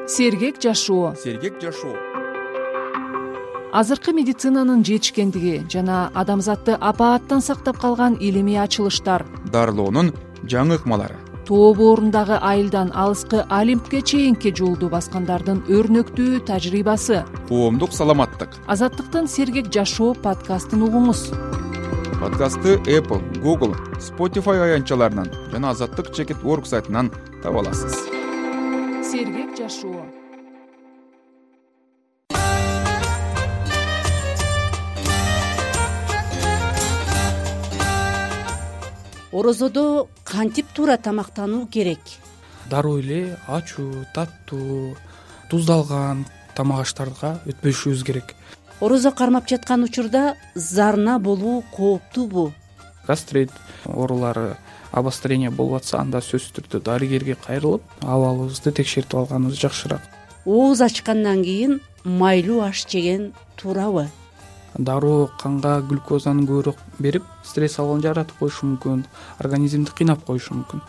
Сергек жашоо. Азыркы медицинанын жетишкендиги жана адамзатты апааттан сактап калган илимий ачылыштар, дарылоонун жаңы ыкмалары, тоо боорундагы айылдан алыскы Олимпке чейинки жолду баскандардын өрнөктүү тажрыйбасы. коомдук саламаттык. Азаттыктын Сергек жашоо подкастын угуңуз. Подкастты Apple, Google, Spotify аянтчаларынан жана Азаттык.org сайтынан таба аласыз. Сергек жашоо. Орозодо кантип туура тамактануу керек? Дароо эле ачуу, таттуу, туздалган тамак аштарга өтпөшүбүз керек. Орозо кармап жаткан учурда зарына болуу кооптуубу? Гастрит оорулары обострение болуп атса, анда сөзсүз түрдө дарыгерге кайрылып, абалыбызды текшертип алганыбыз жакшыраак. Ооз ачкандан кийин майлуу аш жеген туурабы? Дароо канга глюкозаны көбүрөөк берип, стресс абалын жаратып коюшу мүмкүн, организмди кыйнап коюшу мүмкүн.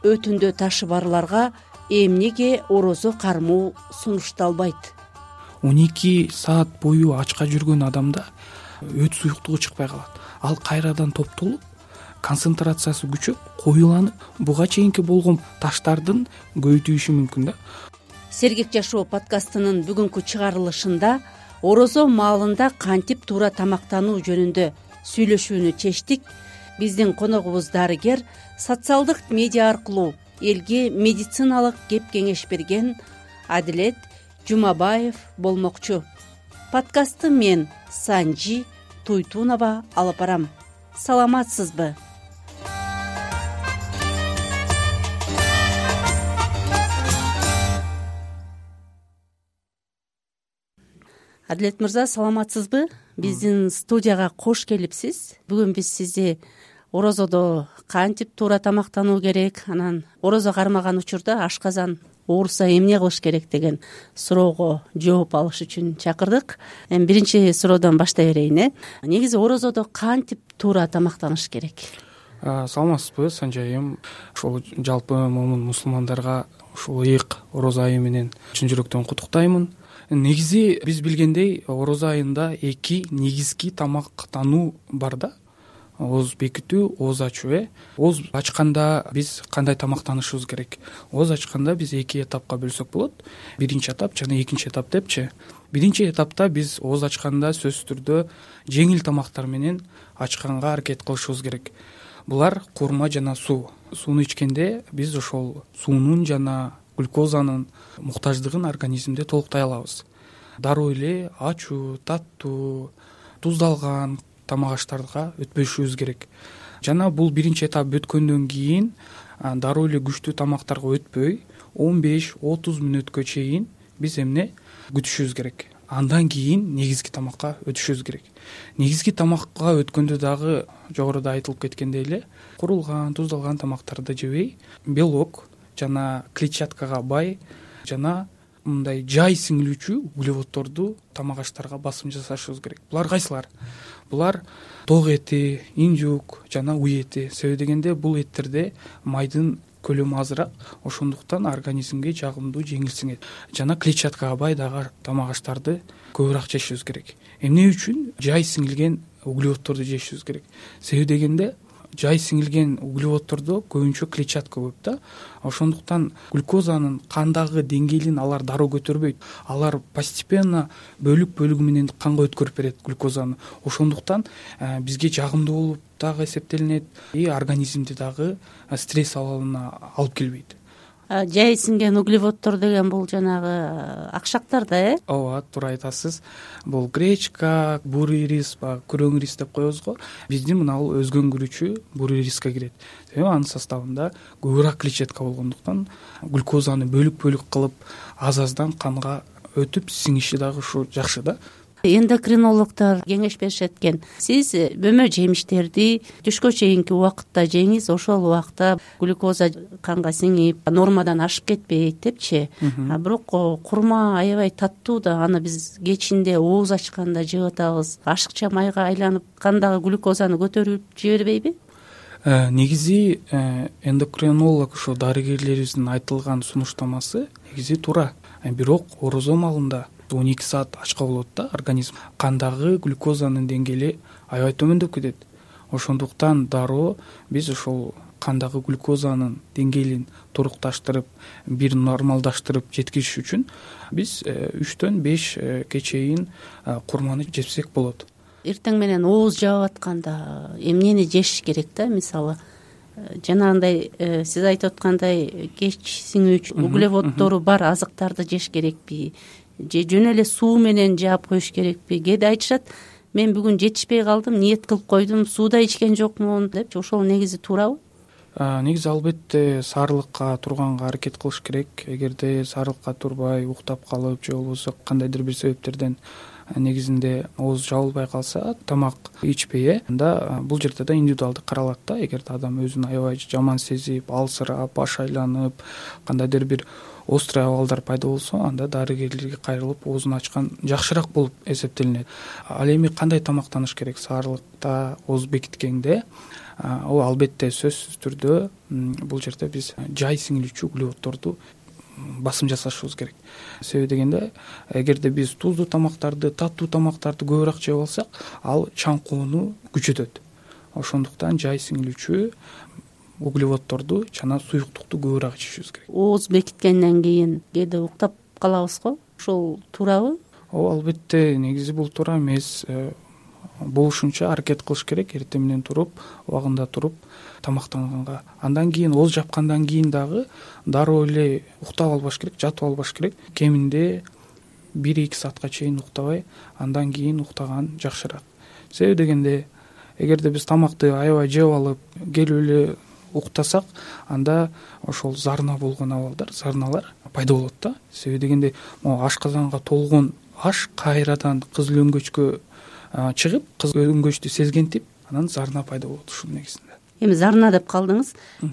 Өтүндө ташы барларга эмнеге орозо кармоо сунушталбайт? 12 саат бою ачка жүргөн адамда өт суюктугу чыкпай калат. Ал кайрадан топтолуп, концентрациясы күчөп, коюланып, буга чейинки болгон таштардын көбөйтүшү мүмкүн да. Сергек жашоо подкастынын бүгүнкү чыгарылышында орозо маалында кантип туура тамактануу жөнүндө сүйлөшүүнү чечтик. Биздин коногубуз дарыгер, социалдык медиа аркылуу элге медициналык кеп кеңеш берген Адилет Жумабаев болмокчу. Подкастты мен Санжи Туйтунова алып барам. Саламатсызбы? Адилет мырза, саламатсызбы? Биздин студияга кош келипсиз. Бүгүн биз сизди орозодо кантип туура тамактануу керек, анан орозо кармаган учурда ашказан ооруса эмне кылыш керек деген суроого жооп алыш үчүн чакырдык. Эми биринчи суроодон баштай берейин. Негизи орозодо кантип туура тамактаныш керек? Саламатсызбы, Санжайым? Ошол жалпы момун мусулмандарга ушул ыйык орозо айы менен чын жүрөктөн куттуктаймын. Негизи биз билгендей, орозо айында 2 негизги тамактануу бар да. Ооз бекитүү, ооз ачуу. Ооз ачканда биз кандай тамактанышыбыз керек? Ооз ачканда биз 2 этапка бөлсөк болот. Биринчи этап жана экинчи этап депчи. Биринчи этапта биз ооз ачканда сөзсүз түрдө жеңил тамактар менен ачканга аракет кылышыбыз керек. Булар курма жана суу. Сууну ичкенде биз ошол суунун жана глюкозанын муктаждыгын организмде толуктай алабыз. Дароо эле ачуу, таттуу, туздалган тамак аштарга өтпөшүбүз керек. Жана бул биринчи этап өткөндөн кийин дароо эле күчтүү тамактарга өтпөй 15-30 мүнөткө чейин биз эмне күтүшүбүз керек. Андан кийин негизги тамакка өтүшүбүз керек. Негизги тамакка өткөндө дагы жогоруда айтылып кеткендей эле курулган, туздалган тамактарды жебей, белок жана клетчаткага бай жана мындай жай сиңилүүчү углеводдорду тамак аштарга басым жасашыбыз керек. Булар кайсылар? Булар ток эти, инжук жана уй эти. Себеби дегенде бул эттерде майдын көлөмү азыраак, ошондуктан организмге жагымдуу, жеңил сиңет. Жана клетчаткага бай дагы тамак аштарды көбүрөөк жешибиз керек. Эмне үчүн жай сиңилген углеводдорду жешибиз керек? Себеби дегенде жай сиңилген углеводдордо көбүнчө клетчатка көп да. Ошондуктан глюкозанын кандагы деңгээлин алар дароо көтөрбөйт. Алар постепенно бөлүк менен канга өткөрүп берет глюкозаны. Ошондуктан бизге жагымдуу болуп дагы эсептелинет, организмди дагы стресс абалына алып келбейт. Жай сиңген углеводдор деген бул жанагы акшактар да, Ооба, туура айтасыз. Бул гречка, бурый рис, күрөң рис деп коебуз го. Биздин мына бул өзгөңгүрүүчү бурый риске кирет. Себеби анын составында көбүрөөк клетчатка болгондуктан глюкозаны бөлүк кылып аз-аздан канга өтүп сиңиши дагы ушу жакшы да. Эндокринологдор кеңеш беришет экен. Сиз бөмө жемиштерди түшкө чейинки убакытта жеңиз, ошол убакта глюкоза канга сиңип, нормадан ашып кетпейт депчи. Бирок курма аябай таттуу да, аны биз кечинде ооз ачканда жеп атабыз. Ашыкча майга айланып кандагы глюкозаны көтөрүп жибербейби? Негизи эндокринолог ошо дарыгерлерибиздин айтылган сунуштамасы негизи туура. Бирок орозо маалында 12 саат ачка болот да организм. Кандагы глюкозанын деңгээли аябай төмөндөп кетет. Ошондуктан дароо биз ошол кандагы глюкозанын деңгээлин турукташтырып, бир нормалдаштырып жеткириш үчүн биз 3-төн 5 чейин курманы жесек болот. Эртең менен ооз жаап атканда эмнени жеш керек да? Мисалы жанагындай сиз айтып аткандай кеч сиңүүчү углеводдору бар азыктарды жеш керекпи же жөн эле суу менен жаап коюш керекпи? Кээде айтышат, мен бүгүн жетишпей калдым, ниет кылып койдум, суу да ичкен жокмун депчи. Ошол негизи туурабы? Негизи албетте саарылыкка турганга аракет кылыш керек. Эгерде саарылыкка турбай уктап калып же болбосо кандайдыр бир себептерден негизинде ооз жабылбай калса, тамак ичпей, анда бул жерде да индивидуалдуу каралат да. Эгерде адам өзүн аябай жаман сезип, алсырап, баш айланып, кандайдыр бир острый абалдар пайда болсо, анда дарыгерлерге кайрылып оозун ачкан жакшыраак болуп эсептелинет. Ал эми кандай тамактаныш керек саарылыкта ооз бекиткенде? Ал албетте сөзсүз түрдө бул жерде биз жай сиңилүүчү углеводдорду басым жасашыбыз керек. Себеби дегенде, эгерде биз туздуу тамактарды, таттуу тамактарды көбүрөөк жеп алсак, ал чаңкоону күчөтөт. Ошондуктан жай сиңилүүчү углеводдорду жана суюктукту көбүрөөк ичишибиз керек. Ооз бекиткенден кийин кээде уктап калабыз го? Ошол туурабы? Албетте негизи бул туура эмес. Болушунча аракет кылыш керек, эртең менен туруп, убагында туруп тамактанганга. Андан кийин ооз жапкандан кийин дагы дароо эле уктап албаш керек, жатып албаш керек. Кеминде 1-2 саатка чейин уктабай, андан кийин уктаган жакшыраак. Себеби дегенде, эгерде биз тамакты аябай жеп алып, келип эле уктасак, анда ошол зарна болгон абалдар, зарналар пайда болот да. Себеби дегенде, ашказанга толгон аш кайрадан кызыл өңгөчкө чыгып, кызыл өңгөчтү сезгентип, анан зарна пайда болот ушунун негизинде. Эми зарна деп калдыңыз.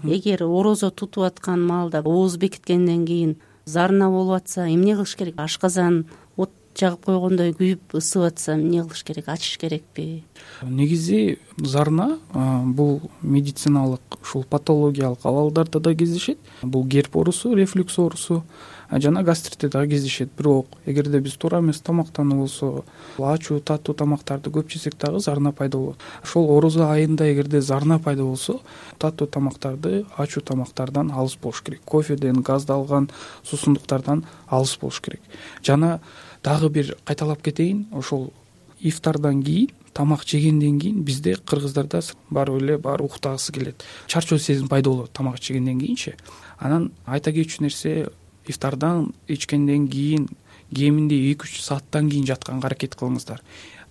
Эгер орозо тутуп аткан маалда ооз бекиткенден кийин зарна болуп атса, эмне кылыш керек? Ашказан от жагып койгондой күйүп ысып атса, эмне кылыш керек? Ачыш керекпи? Негизи зарна бул медициналык ушул патологиялык абалдарда да кездешет. Бул герп оорусу, рефлюкс оорусу жана гастритте дагы кездешет. Бирок эгерде биз туура эмес тамактануу болсо, ачуу, таттуу тамактарды көп жесек дагы зарна пайда болот. Ошол орозо айында эгерде зарна пайда болсо, таттуу тамактарды, ачуу тамактардан алыс болуш керек. Кофеден, газдалган суусундуктардан алыс болуш керек. Жана дагы бир кайталап кетейин, ошол ифтардан кийин, тамак жегенден кийин бизде кыргыздарда баары эле уктагысы келет. Чарчоо сезим пайда болот тамак жегенден кийинчи. Анан айта кетчү нерсе, ифтардан ичкенден кийин кеминде 2-3 сааттан кийин жатканга аракет кылыңыздар.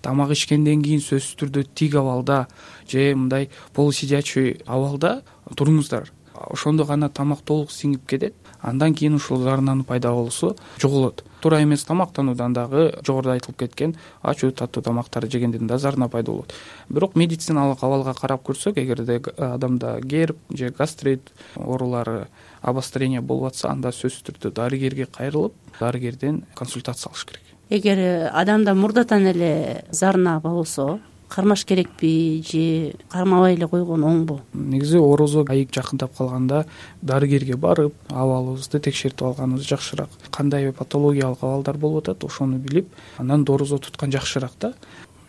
Тамак ичкенден кийин сөзсүз түрдө тик абалда же мындай полусидячий абалда туруңуздар. Ошондо гана тамак толук сиңип кетет. Андан кийин ушул зарнанын пайда болуусу жоголот. Туура эмес тамактануудан дагы жогоруда айтылып кеткен ачуу, таттуу тамактарды жегенден да зарна пайда болот. Бирок медициналык абалга карап көрсөк, эгерде адамда герп же гастрит оорулары, обострение болуп атса, анда сөзсүз түрдө дарыгерге кайрылып, дарыгерден консультация алыш керек. Эгер адамда мурдатан эле зарна болсо, кармаш керекпи же кармабай эле койгон оңбу? Негизи орозо айып жакындап калганда дарыгерге барып, абалыбызды текшертип алганыбыз жакшыраак. Кандай патологиялык абалдар болуп атат, ошону билип, андан орозо туткан жакшыраак да.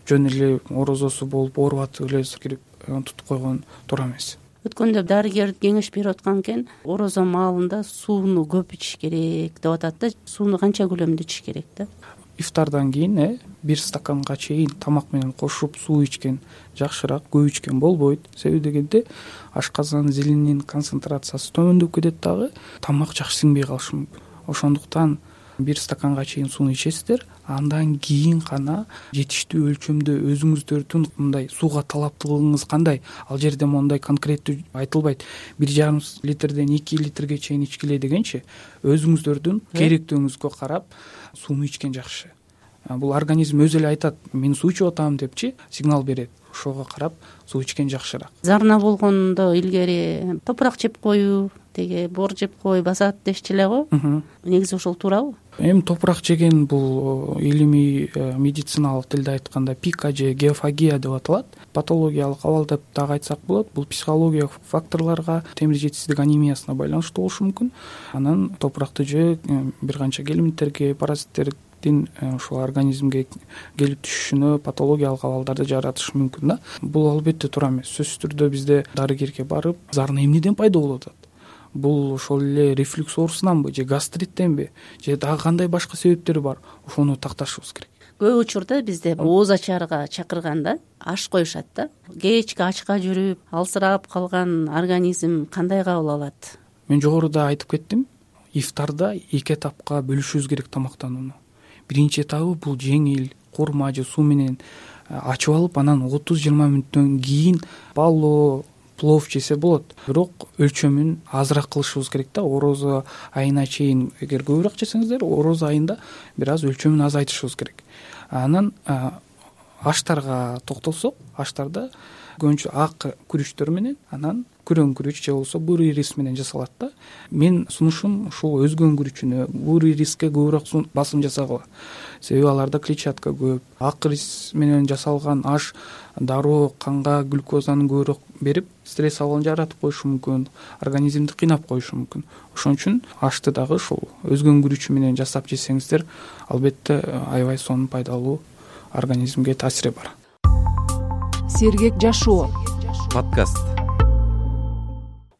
Жөн эле орозосу болуп ооруп атып эле кирип тутуп койгон туура эмес. Өткөндө дарыгер кеңеш берип аткан экен, орозо маалында сууну көп ичиш керек деп атат да. Сууну канча көлөмдө ичиш керек да? Ифтардан кийин 1 стаканга чейин тамак менен кошуп суу ичкен жакшыраак, көп ичкен болбойт. Себеби дегенде ашказан зилинин концентрациясы төмөндөп кетет дагы, тамак жакшы сиңбей калышы мүмкүн. Ошондуктан 1 стаканга чейин сууну ичесиздер, андан кийин гана жетиштүү өлчөмдө өзүңүздөрдүн мындай сууга талаптуулугуңуз кандай. Ал жерде мондай конкреттүү айтылбайт. 1,5 литрден 2 литрге чейин ичкиле дегенчи, өзүңүздөрдүн керектүүңүзгө карап сууну ичкен жакшы. Бул организм өзү эле айтат, мен суу ичип атам депчи, сигнал берет. Ошого карап суу ичкен жакшыраак. Зарна болгондо илгери топурак жеп коюу тиги бор жеп кой басат дешчү эле го. Негизи ошол туурабы? Эми топурак жеген бул илимий медициналык тилде айтканда пика же геофагия деп аталат. Патологиялык абал деп дагы айтсак болот. Бул психологиялык факторлорго, темир жетишсиздик анемиясына байланыштуу болушу мүмкүн. Анан топуракты жөө бир канча гельминттерге, паразиттердин ушул организмге келип түшүшүнө патологиялык абалдарды жаратышы мүмкүн да. Бул албетте туура эмес. Сөзсүз түрдө бизде дарыгерге барып, зарына эмнеден пайда болуп атат? Бул ошол эле рефлюкс оорусунанбы же гастриттенби же дагы кандай башка себептери бар? Ошону такташыбыз керек. Көп учурда бизде ооз ачаарга чакырганда аш коюшат да. Кечки ачка жүрүп, алсырап калган организм кандай кабыл алат? Мен жогоруда айтып кеттим. Ифтарда 2 этапка бөлүшүбүз керек тамактанууну. Биринчи этабы бул жеңил курма же суу менен ачып алып, анан 30-20 мүнөттөн кийин баллоо, плов жесе болот. Бирок өлчөмүн азыраак кылышыбыз керек да. Орозо айына чейин эгер көбүрөөк жесеңиздер, орозо айында бир аз өлчөмүн азайтышыбыз керек. Анан аштарга токтолсок, аштарда көбүнчө ак күрүчтөр менен, анан күрөң күрүч же болбосо бурый рис менен жасалат да. Мен сунушум ушул өзгөн күрүчүнө, бурый риске көбүрөөк басым жасагыла. Себеби аларда клетчатка көп. Ак рис менен жасалган аш дароо канга глюкозаны көбүрөөк берип, стресс абалын жаратып коюшу мүмкүн, организмди кыйнап коюшу мүмкүн. Ошон үчүн ашты дагы ушул өзгөн күрүчү менен жасап жесеңиздер, албетте аябай сонун пайдалуу организмге таасири бар. Сергек жашоо подкаст.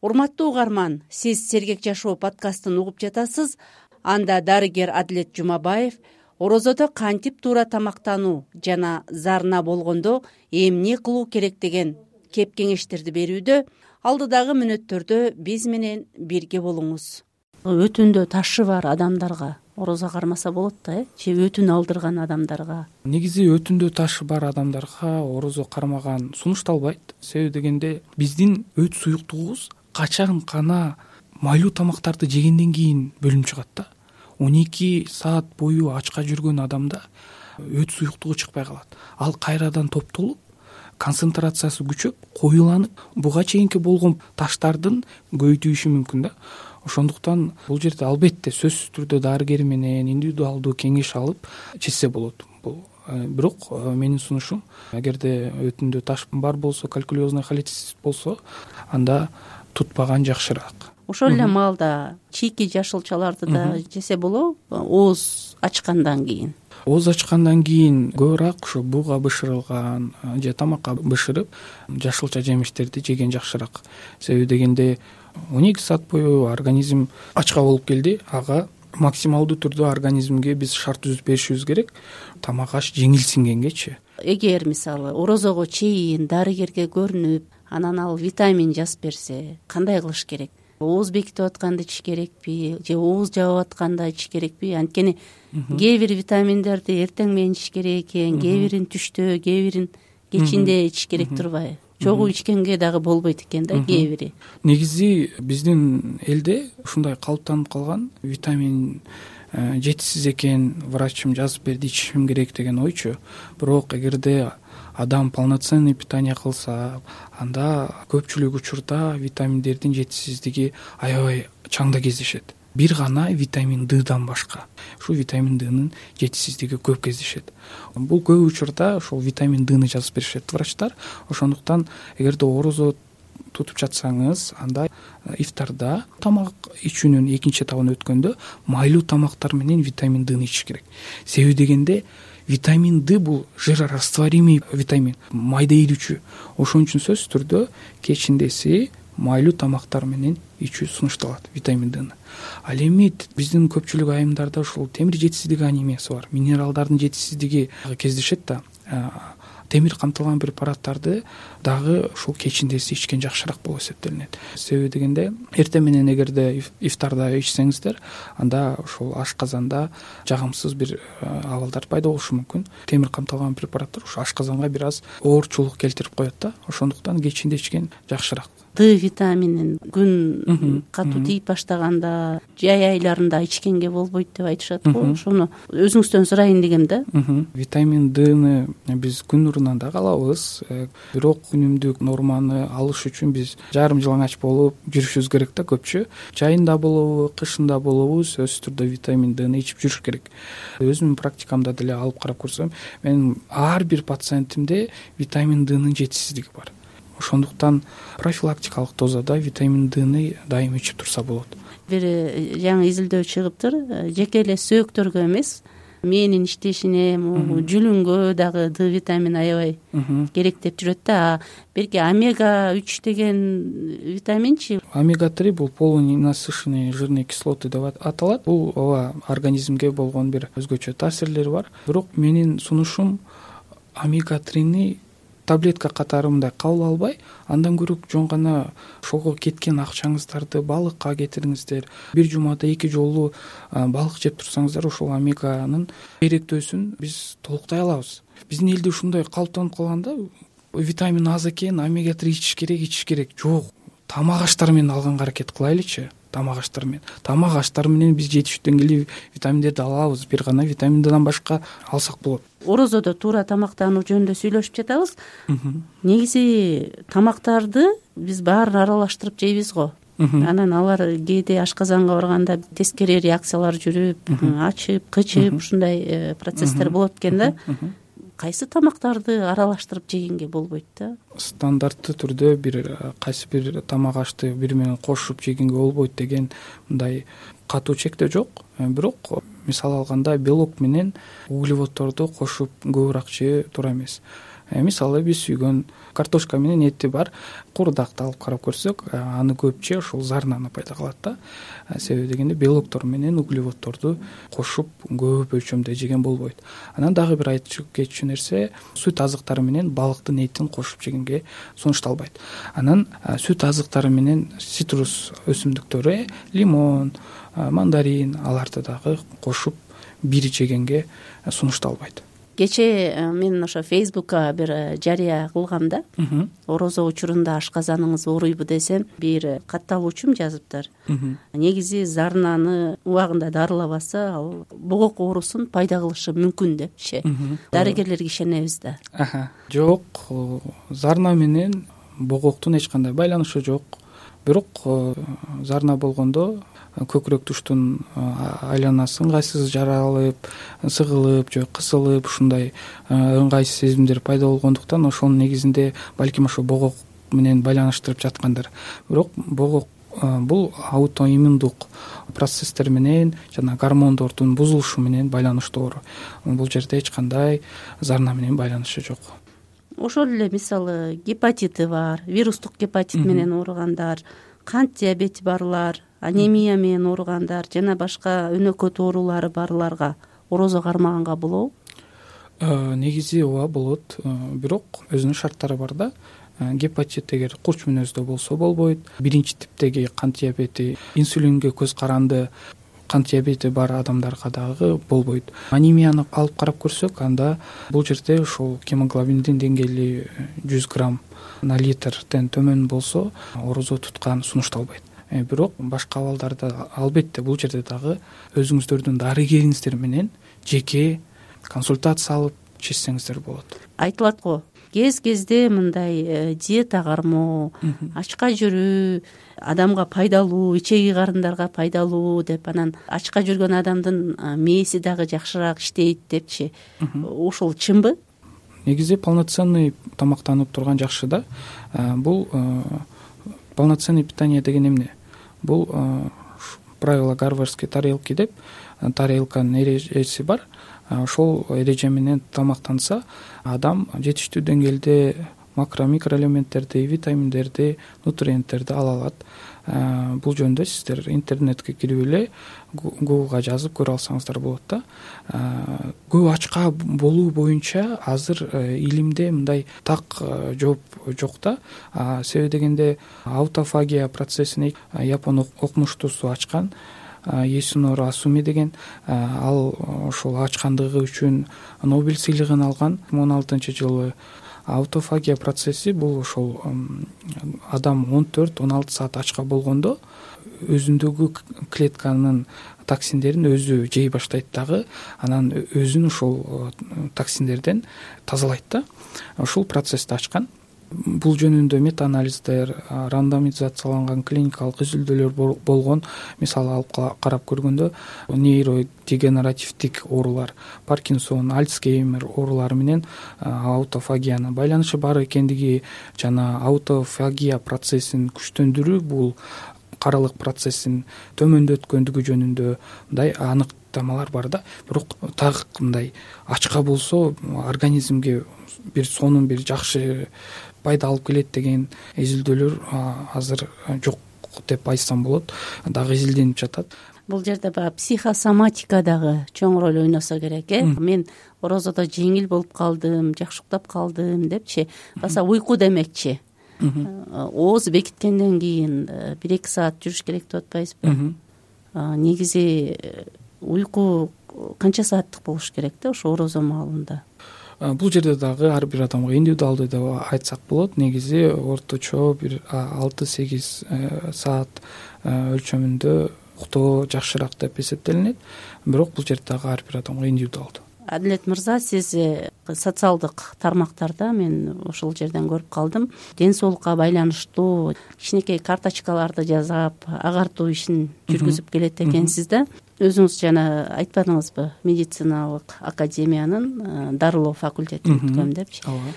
Урматтуу угарман, сиз Сергек жашоо подкастын угуп жатасыз. Анда дарыгер Адилет Жумабаев орозодо кантип туура тамактануу жана зарына болгондо эмне кылуу керек деген кеп кеңештерди берүүдө. Алдыдагы мүнөттөрдө биз менен бирге болуңуз. Өтүндө ташы бар адамдарга орозо кармаса болот да, же өтүн алдырган адамдарга? Негизи өтүндө ташы бар адамдарга орозо кармаган сунушталбайт. Себеби дегенде биздин өт суюктугубуз качан гана майлуу тамактарды жегенден кийин бөлүнүп чыгат да. 12 саат бою ачка жүргөн адамда өт суюктугу чыкпай калат. Ал кайрадан топтолуп, концентрациясы күчөп, коюланып, буга чейинки болгон таштардын көйдүшү мүмкүн да. Ошондуктан бул жерде албетте сөзсүз түрдө дарыгер менен индивидуалдуу кеңеш алып чечсе болот. Бирок менин сунушум, эгерде өтүндө таш бар болсо, калькулезный холецистит болсо, анда тутпаган жакшыраак. Ошол эле маалда чийки жашылчаларды да жесе болобу, ооз ачкандан кийин? Ооз ачкандан кийин көбүрөөк ушу буга бышырылган же тамакка бышырып жашылча жемиштерди жеген жакшыраак. Себеби дегенде 12 саат бою организм ачка болуп келди, ага максималдуу түрдө организмге биз шарт түзүп беришибиз керек, тамак аш жеңилсингенгечи. Эгер мисалы орозого чейин дарыгерге көрүнүп, анан ал витамин жазып берсе, кандай кылыш керек? Ооз бекитип атканда ич керекпи же ооз жабып атканда ич керекпи? Анткени кээ бир витаминдерди эртең менен ич керек экен, кээ бирин түштө, кээ бирин кечинде ич керек турбайбы? Чогуу ичкенге дагы болбойт экен да кээ бири. Негизи биздин элде ушундай калыптанып калган, витамин жетишсиз экен, врачым жазып берди, ичишим керек деген ойчу. Бирок эгерде адам полноценный питание кылса, анда көпчүлүк учурда витаминдердин жетишсиздиги аябай чаңда кездешет. Бир гана витамин Ддан башка. Ушу витамин Днын жетишсиздиги көп кездешет. Бул көп учурда ошол витамин Дны жазып беришет врачтар. Ошондуктан эгерде орозо тутуп жатсаңыз, анда ифтарда тамак ичүүнүн экинчи этабына өткөндө майлуу тамактар менен витамин Дны ичиш керек. Себеби дегенде витамин Д бул жирорастворимый витамин, майда эрүүчү. Ошон үчүн сөзсүз түрдө кечиндеси майлуу тамактар менен ичүү сунушталат витамин Дны. Ал эми биздин көпчүлүк айымдарда ушул темир жетишсиздиги анемиясы бар, минералдардын жетишсиздиги кездешет да. Темир камтылган препараттарды дагы ушул кечиндеси ичкен жакшыраак болуп эсептелинет. Себеби дегенде эртең менен эгерде ифтарда ичсеңиздер, анда ушул ашказанда жагымсыз бир абалдар пайда болушу мүмкүн. Темир камтылган препараттар ушу ашказанга бир аз оорчулук келтирип коет да. Ошондуктан кечинде ичкен жакшыраак. Д витаминин күн катуу тийип баштаганда, жай айларында ичкенге болбойт деп айтышат го. Ошону өзүңүздөн сурайын дегем да. Витамин Дны биз күн нурунан дагы алабыз, бирок күнүмдүк норманы алыш үчүн биз жарым жалаңач болуп жүрүшүбүз керек да. Көпчү жайында болобу, кышында болобу сөзсүз түрдө витамин Дны ичип жүрүш керек. Өзүмдүн практикамда деле алып карап көрсөм, мен ар бир пациентимде витамин Днын жетишсиздиги бар. Ошондуктан профилактикалык дозада витамин Дны дайым ичип турса болот. Бир жаңы изилдөө чыгыптыр. Жеке эле сөөктөргө эмес, мээнин иштешине, жүлүнгө дагы Д витамини аябай керек деп жүрөт да. Берки омега 3 деген витаминчи? Омега 3 бул полиненасыщенные жирные кислоты деп аталат. Бул ооба организмге болгон бир өзгөчө таасирлери бар. Бирок менин сунушум омега 3-ни таблетка катары мындай кабыл албай, андан көрө жөн гана ошого кеткен акчаңыздарды балыкка кетириңиздер. Бир жумада 2 жолу балык жеп турсаңыздар, ошол омеганын керектөөсүн биз толуктай алабыз. Биздин элде ушундай калыптанып калган да, витамин аз экен, омега 3 ичиш керек. Жок, тамак аштар менен алганга аракет кылайлычы. Тамак аштар менен биз жетиштүү деңгээлде витаминдерди алабыз. Бир гана витаминдерден башка алсак болот. Орозодо туура тамактануу жөнүндө сүйлөшүп жатабыз. Негизи тамактарды биз баарын аралаштырып жейбиз го. Анан алар кээде ашказанга барганда тескери реакциялар жүрүп, ачып, кычып, ушундай процесстер болот экен да. Кайсы тамактарды аралаштырып жегенге болбойт да? Стандартты түрдө кайсы бир тамак ашты бири менен кошуп жегенге болбойт деген мындай катуу чектөө жок. Бирок мисал алганда белок менен углеводдорду кошуп көбүрөөк жөө туура эмес. Мисалы биз сүйгөн картошка менен эти бар куурдакты алып карап көрсөк, аны көп жөө ошол зарнаны пайда кылат да. Себеби дегенде белоктор менен углеводдорду кошуп көп өлчөмдө жеген болбойт. Анан дагы бир айтып кетчү нерсе, сүт азыктары менен балыктын этин кошуп жегенге сунушталбайт. Анан сүт азыктары менен цитрус өсүмдүктөрү, лимон, мандарин, аларды дагы кошуп бир жегенге сунушталбайт. Кечээ мен ошо Фейсбукка бир жарыя кылгам да. Орозо учурунда ашказаныңыз ооруйбу десем, бир катталуучум жазыптыр. Негизи зарнаны убагында дарылабаса, ал богок оорусун пайда кылышы мүмкүн депчи. Дарыгерлерге ишенебиз да. Жок, зарна менен богоктун эч кандай байланышы жок. Бирок зарна болгондо көкүрөк туштун айланасы ыңгайсыз жаралып, сыгылып же кысылып, ушундай ыңгайсыз сезимдер пайда болгондуктан ошонун негизинде балким ошо богок менен байланыштырып жаткандар. Бирок богок бул аутоиммундук процесстер менен жана гормондордун бузулушу менен байланыштуу оору. Бул жерде эч кандай зарна менен байланышы жок. Ошол эле мисалы гепатиты бар, вирустук гепатит менен ооругандар, кант диабети барлар, анемия менен ооругандар жана башка өнөкөт оорулары барларга орозо кармаганга болобу? Негизи ооба болот, бирок өзүнүн шарттары бар да. Гепатит эгер курч мүнөздө болсо болбойт. Биринчи типтеги кант диабети, инсулинге көз каранды кант диабети бар адамдарга дагы болбойт. Анемияны алып карап көрсөк, анда бул жерде ошол гемоглобиндин деңгээли 100 грамм на литрден төмөн болсо, орозо туткан сунушталбайт. Бирок башка абалдарда албетте бул жерде дагы өзүңүздөрдүн дарыгериңиздер менен жеке консультация алып чечсеңиздер болот. Айтылат го, кез-кезде мындай диета кармоо, ачка жүрүү адамга пайдалуу, ичеги карындарга пайдалуу деп, анан ачка жүргөн адамдын мээси дагы жакшыраак иштейт депчи. Ошол чынбы? Негизи полноценный тамактанып турган жакшы да. Бул полноценный питание деген эмне? Бул правила гарвардской тарелки деп, тарелканын эрежеси бар. Ошол эреже менен тамактанса, адам жетиштүү деңгээлде макро микроэлементтерди, витаминдерди, нутриенттерди ала алат. Бул жөнүндө сиздер интернетке кирип эле Googleга жазып көрө алсаңыздар болот да. Көп ачка болуу боюнча азыр илимде мындай так жооп жок да. Себеби дегенде аутофагия процессин япон окумуштуусу ачкан. Есунору Асуми деген, ал ошол ачкандыгы үчүн Нобель сыйлыгын алган 2016-жылы. аутофагия процесси бул ошол адам 14-16 саат ачка болгондо өзүндөгү клетканын токсиндерин өзү жей баштайт дагы, анан өзүн ушул токсиндерден тазалайт да. Ушул процессти ачкан. Бул жөнүндө метаанализдер, рандомизацияланган клиникалык изилдөөлөр болгон. Мисалы алып карап көргөндө нейродегенеративдик оорулар, Паркинсон, Альцгеймер оорулары менен аутофагиянын байланышы бар экендиги жана аутофагия процессин күчтөндүрүү бул каралык процессин төмөндөткөндүгү жөнүндө мындай аныктамалар бар да. Бирок так мындай ачка болсо организмге бир сонун бир жакшы пайда алып келет деген изилдөөлөр азыр жок деп айтсам болот, дагы изилденип жатат. Бул жерде баягы психосоматика дагы чоң роль ойносо керек, Мен орозодо жеңил болуп калдым, жакшы уктап калдым депчи, баса уйку демекчи. Ооз бекиткенден кийин 1-2 саат жүрүш керек деп атпайсызбы? Негизи уйку канча сааттык болуш керек да ошо орозо маалында? Бул жерде дагы ар бир адамга индивидуалдуу деп айтсак болот. Негизи орточо бир 6-8 саат өлчөмүндө уктоо жакшыраак деп эсептелинет. Бирок бул жерде дагы ар бир адамга индивидуалдуу. Адилет мырза, сиз социалдык тармактарда мен ошол жерден көрүп калдым. Ден соолукка байланыштуу кичинекей карточкаларды жасап, агартуу ишин жүргүзүп келет экенсиз да. Өзүңүз жана айтпадыңызбы, медициналык академиянын дарылоо факультетин бүткөм депчи. Ооба.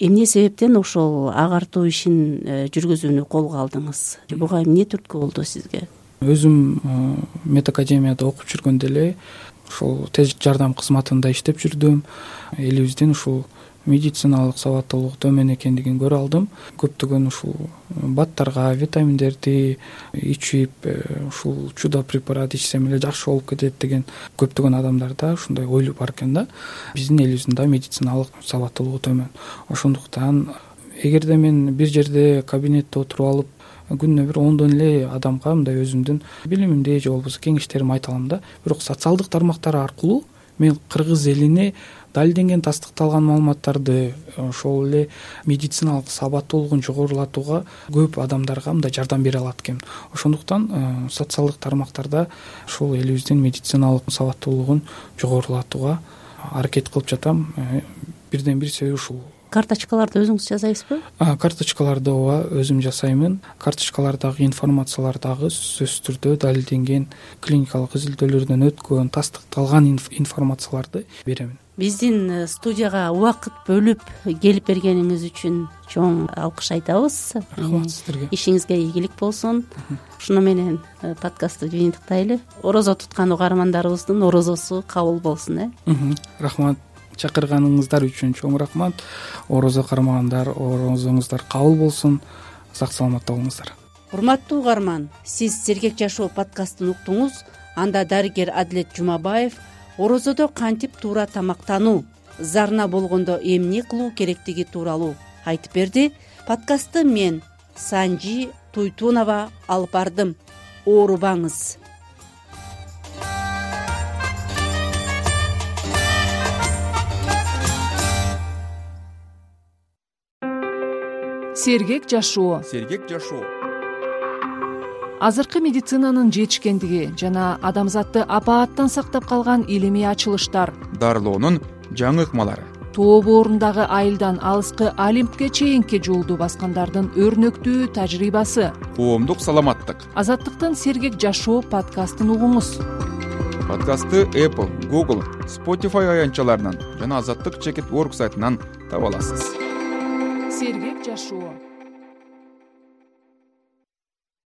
Эмне себептен ошол агартуу ишин жүргүзүүнү колго алдыңыз? Буга эмне түрткү болду сизге? Өзүм медакадемияда окуп жүргөндө эле ушул тез жардам кызматында иштеп жүрдүм. Элибиздин ушул медициналык сабаттуулук төмөн экендигин көрө алдым. Көптөгөн ушул баттарга, витаминдерди ичип, ушул чудо препарат ичсем эле жакшы болуп кетет деген көптөгөн адамдарда ушундай ой бар экен да. Биздин элибиздин да медициналык сабаттуулугу төмөн. Ошондуктан эгерде мен бир жерде кабинетте отуруп алып күнүнө бир 10дон эле адамга мындай өзүмдүн билимимди же болбосо кеңештеримди айта алам да. Бирок социалдык тармактар аркылуу мен кыргыз элине далилденген, тастыкталган маалыматтарды, ошол эле медициналык сабаттуулугун жогорулатууга көп адамдарга мындай жардам бере алат экенмин. Ошондуктан социалдык тармактарда ушул элибиздин медициналык сабаттуулугун жогорулатууга аракет кылып жатам. Бирден бир себеби ушул. Карточкаларды өзүңүз жасайсызбы? Карточкаларды ооба өзүм жасаймын. Карточкалардагы информациялар дагы сөзсүз түрдө далилденген, клиникалык изилдөөлөрдөн өткөн, тастыкталган информацияларды беремин. Биздин студияга убакыт бөлүп келип бергениңиз үчүн чоң алкыш айтабыз. Рахмат сиздерге. Ишиңизге ийгилик болсун. Ушуну менен подкастты жыйынтыктайлы. Орозо туткан угармандарыбыздын орозосу кабыл болсун. Рахмат. Чакырганыңыздар үчүн чоң рахмат. Орозо кармагандар, орозоңуздар кабыл болсун. Сак саламатта болуңуздар. Урматтуу угарман, сиз Сергек жашоо подкастын уктуңуз. Анда дарыгер Адилет Жумабаев орозодо кантип туура тамактануу, зарна болгондо эмне кылуу керектиги тууралуу айтып берди. Подкастты мен Санжи Туйтунова алып бардым. Оорубаңыз. Сергек жашоо. Сергек жашоо. Азыркы медицинанын жетишкендиги жана адамзатты апааттан сактап калган илимий ачылыштар, дарылоонун жаңы ыкмалары, тоо боорундагы айылдан алыскы Олимпке чейинки жолду баскандардын өрнөктүү тажрыйбасы. коомдук саламаттык. Азаттыктын Сергек жашоо подкастын угуңуз. Подкастты Apple, Google, Spotify аянтчаларынан жана Азаттык.org сайтынан таба аласыз. Сергек жашоо.